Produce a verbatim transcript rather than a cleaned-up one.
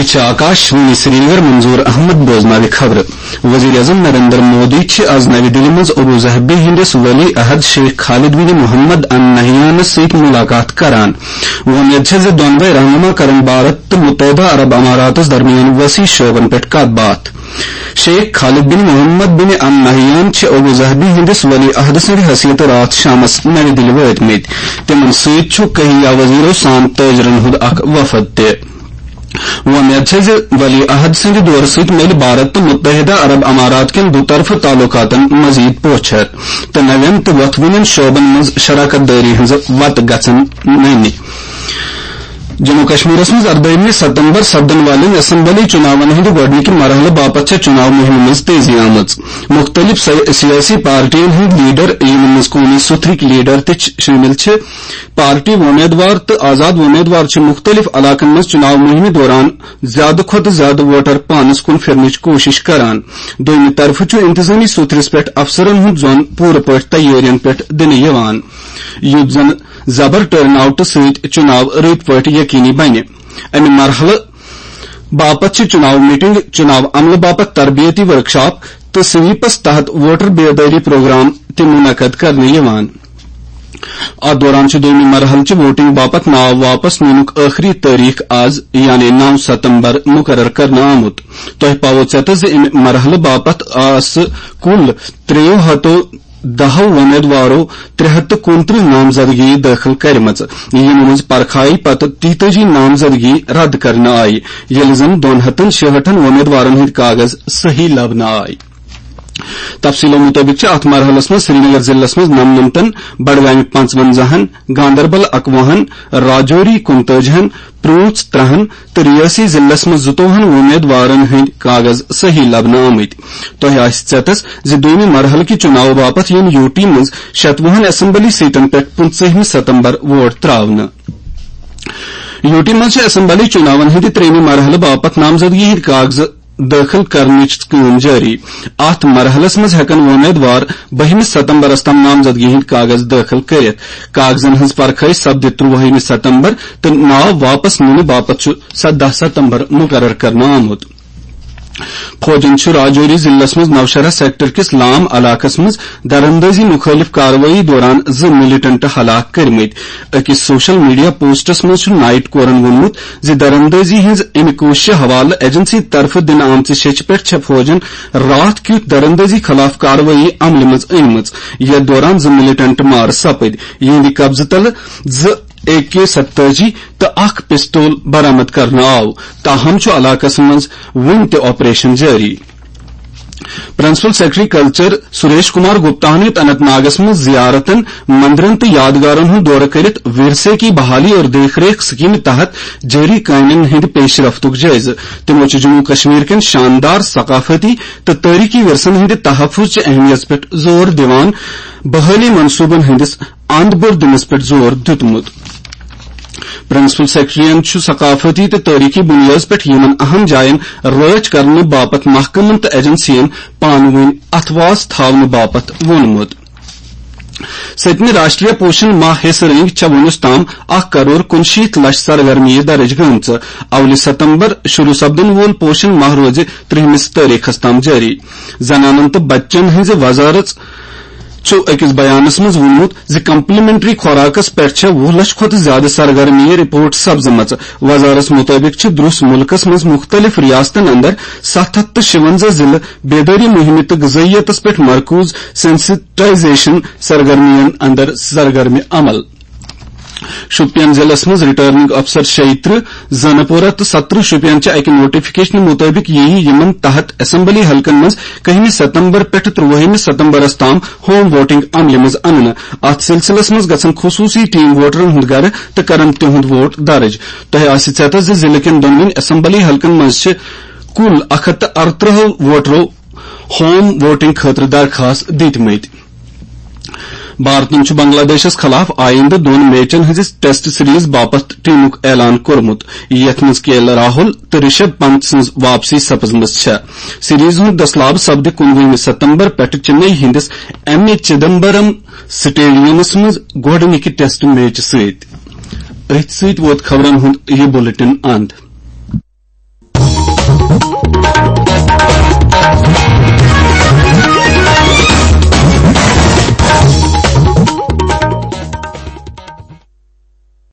چھِ آکاش وانی سرینگر۔ منظور احمد بوزناوِ خبرٕ۔ وزیر اعظم نریندر مودی چھِ آز نوِ دِلہِ منٛز ابو ظہبی ہٕنٛدِس ولی عہد شیخ خالد بن محمد النہیانس سۭتۍ ملاقات کران۔ وۄمید چھےٚ زِ دۄنوَے رہنما کرن بھارت تہٕ متحدہ عرب اماراتس درمیان وسیع شعبن پٮ۪ٹھ کتھ باتھ۔ شیخ خالد بن محمد بن النہیان چھِ ابو ظہبی ہٕنٛدِس ولی عہد سٕنٛدِ حیثیتہٕ راتھ شامس نوِ دِلہِ وٲتمٕتۍ۔ تِمن سۭتۍ چھُ کہیا وزیرو سان تٲجرن ہُنٛد اکھ وفد تہِ۔ وۄمید چھےٚ زِ ولی عہد سٕنٛدِ دورٕ سۭتۍ میلہِ بھارت تہٕ متحدہ عرب امارات کٮ۪ن دُطرفہٕ تعلقاتن مزید پوچھر تہٕ نوٮ۪ن تہٕ وۄتھوٕنٮ۪ن شعبن منٛز شراکت دٲری ہٕنٛز وتہٕ گژھن نٔنہِ۔ جموں کشمیرس منٛز اردٲہمہِ ستمبر سپدن والٮ۪ن اسمبلی چُناون ہٕنٛدِ گۄڈٕنِکہِ مرحلہٕ باپتھ چھےٚ چُناو مُہِمہِ منٛز تیزی آمٕژ۔ مُختٔلِف سیا-، سیٲسی پارٹین ہٕنٛدۍ لیڈر، یِمن منٛز قومی سُتھرٕکۍ لیڈر تہِ چھِ، شٲمِل چھِ، پارٹی وۄمیدوار تہٕ آزاد وۄمیدوار چھِ مُختٔلِف علاقن منٛز چُناو مُہِمہِ دوران زیادٕ کھۄتہٕ زیادٕ ووٹر پانس کُن پھِرنٕچ کوٗشِش کران۔ دوٚیمہِ طرفہٕ چھُ انتظٲمی سُتھرِس پٮ۪ٹھ افسرن ہُنٛد ظۄن پوٗرٕ پٲٹھۍ تیٲرین پٮ۪ٹھ دِنہٕ یِوان، یُتھ زن زبر ٹرن آؤٹہٕ سۭتۍ چُناو رٕتۍ پٲٹھۍ یقینی بنہِ۔ امہِ مرحلہٕ باپتھ چھِ چُناو میٹنگ، چُناو عملہٕ باپتھ تربیتی ورکشاپ تہٕ سویپس تحت ووٹر بیدٲری پروگرام تہِ منعقد کرنہٕ یِوان۔ اتھ دوران چھُ دوٚیمہِ مرحلہٕ چہِ ووٹنگ باپتھ ناو واپس نِنُک ٲخری تٲریخ آز، یعنی نو ستمبر، مقرر کرنہٕ آمُت۔ تۄہہِ پاوو ژیتس زِ امہِ مرحلہٕ باپتھ آسہٕ کُل ترٛیٚیو ہتو دہو وۄمیدوارو ترٛےٚ ہتھ تہٕ کُنترٕہ نامزدگی دٲخل کرِمژٕ، یِمو منٛز پرکھایہِ پتہٕ تیتٲجی نامزدگی رد کرنہٕ آیہِ، ییٚلہِ زن دۄن ہتن شُہٲٹھن وۄمیدوارن ہٕنٛدۍ کاغذ صحیح لبنہٕ آے۔ تفصیلو مُطٲبِق چھِ اتھ مرحلس منٛز سرینگر ضلعس منٛز نمنمتن، بڈگامہِ پنٛژونزاہن، گاندربل اکوُہن، راجوری کُنتٲجِہن، پرٛوٗنٛژ ترٛہن تہٕ ریٲسی ضلعس منٛز زٕتووُہن وۄمیدوارن ہٕنٛدۍ کاغذ صحیح لبنہٕ آمٕتۍ۔ تۄہہِ آسہِ ژیتس زِ دوٚیمہِ مرحلہٕ کہِ چُناوٕ باپتھ یِن یوٗ ٹی منٛز شتوُہن اسمبلی سیٹن پٮ۪ٹھ پٕنٛژٕہمہِ ستمبر ووٹ ترٛاونہٕ۔ یوٗ ٹی منٛز چھِ اسمبلی چُناون ہٕنٛدِ ترٛیٚیمہِ مرحلہٕ باپتھ نامزدگی ہٕنٛدۍ کاغذ دٲخل کرنٕچ کٲم جٲری۔ اتھ مرحلس منٛز ہٮ۪کن وۄمیدوار بٔہمہِ ستمبرس تام نامزدگی ہٕنٛدۍ کاغذ دٲخل کٔرِتھ۔ کاغذن ہٕنٛز پرکھٲے سپدِ ترٛووُہمہِ ستمبر تہٕ ناو واپس نِنہٕ باپتھ چھُ سداہ ستمبر مقرر کرنہٕ آمُت۔ فوجن چھُ راجوری ضلعس منٛز نوشہرہ سیکٹر کِس لام علاقس منٛز دراندازی مُخٲلِف کاروٲیی دوران زٕ ملیٹنٹ ہلاک کٔرمٕتۍ۔ أکِس سوشل میڈیا پوسٹس منٛز چھُ نائٹ کورن ووٚنمُت زِ دراندازی ہٕنٛز اَمہِ کوٗششہِ حوالہٕ ایجنسی طرفہٕ دِنہٕ آمژِ شیٚچھِ پٮ۪ٹھ چھےٚ فوجن راتھ کیُتھ دراندازی خلاف کاروٲیی عملہِ منٛز أنمٕژ، یَتھ دوران زٕ ملیٹنٹ مارٕ سپٕدۍ۔ یِہنٛدِ قبضہٕ تلہٕ زٕ اے کے ستٲجی تہٕ اکھ پستول برآمد کرنہٕ آو۔ تاہم چھُ علاقس منٛز وُنہِ تہِ آپریشن جٲری۔ Principal secretary culture Suresh Kumar Gupta ہن ہیوٚت اننت ناگس منٛز زیارتن، مندرن تہٕ یادگارن ہُنٛد دورٕ کٔرِتھ ورثے کی بحالی اور دیکھ ریکھ سکیمہِ تحت جٲری کامٮ۪ن ہٕنٛدِ پیش رفتُک جٲیزٕ۔ تِمو چھُ جموں کشمیر کٮ۪ن شاندار ثقافتی تہٕ تٲریخی ورثن ہٕنٛدِ تحفظ چہِ اہمیت پٮ۪ٹھ زور دِوان بحالی منصوبن ہٕنٛدِس اند بٔر دِنس پٮ۪ٹھ زور دیُتمُت۔ پرنسپل سیکرٹریَن چھُ ثقافتی تہٕ تٲریخی بُنیٲدَس پٮ۪ٹھ یِمَن اہم جایَن رٲچھ کرنہٕ باپتھ محکمَن تہٕ ایجنسیَن پانہٕ ؤنۍ اَتھٕ واس تھاونہٕ باپتھ ووٚنمُت۔ سٔتمہِ راشٹریہ پوشن ماہ حصہٕ رٔنگۍ چھےٚ وُنیُس تام اکھ کرور کُنشیٖتھ لچھ سرگرمیہِ درٕج گٔمژٕ۔ اولہِ ستمبر شروع سپدن وول پوشن ماہ روزِ ترٛہمِس تٲریخس تام جٲری۔ زنانن تہٕ بچن ہٕنٛزِ وزارت چھُ أکِس بیانس منٛز ووٚنمُت زِ کمپلیمنٹری خوراکس پٮ۪ٹھ چھےٚ وُہ لچھ کھۄتہٕ زیادٕ سرگرمیہِ رپورٹ سپزمژٕ۔ وزارتس مُطٲبِق چھِ درٛوس مُلکس منٛز مُختٔلِف ریاستن اندر ستھ ہتھ تہٕ شُونزہ ضلعہٕ بیدٲری مُہِمہِ تہٕ غذٲیتس پٮ۪ٹھ مرکوز سینسٹائزیشن سرگرمین اندر سرگرمِ عمل۔ شوپین ضلعس منٛز ریٹرننگ افسر شیٚیہِ ترٕٛہ، زنہٕ پورہ تہٕ سترٕہ شوپین چہِ اکہِ نوٹیفکیشنہٕ مُطٲبِق یِیہِ یِمن تحت اسمبلی حلقن منٛز کٔہمہِ ستمبر پٮ۪ٹھٕ ترٛووُہمہِ ستمبرس تام ہوم ووٹنگ عملہِ منٛز اننہٕ۔ اتھ سلسلس منٛز گژھن خصوصی ٹیم ووٹرن ہُنٛد گرٕ تہٕ کرن تِہُنٛد ووٹ درٕج۔ تۄہہِ آسہِ ژیتس زِ ضلعہٕ کٮ۪ن دۄنوٕنی اسمبلی حلقن منٛز چھِ کُل اکھ ہتھ تہٕ ارترٕٛہو ووٹرو ہوم ووٹنگ خٲطرٕ درخواست دِتمٕتۍ۔ بھارتن چھُ بنگلہ دیشس خلاف آیندٕ دۄن میچن ہٕنٛزِ ٹیسٹ سیریز باپتھ ٹیمُک اعلان کوٚرمُت، یتھ منٛز کے ایل راہول تہٕ رشب پنت سٕنٛز واپسی سپزمٕژ چھےٚ۔ سیریز ہُنٛد دٔسلاب سپدِ کُنوُہمہِ ستمبر پٮ۪ٹھٕ چنئی ہٕنٛدِس ایم اے چدمبرم سٹیڈیمس منٛز گۄڈٕنِکہِ ٹیسٹ میچ سۭتۍ۔ أتھۍ سۭتۍ ووت خبرن ہُنٛد یہِ بلیٹن اند۔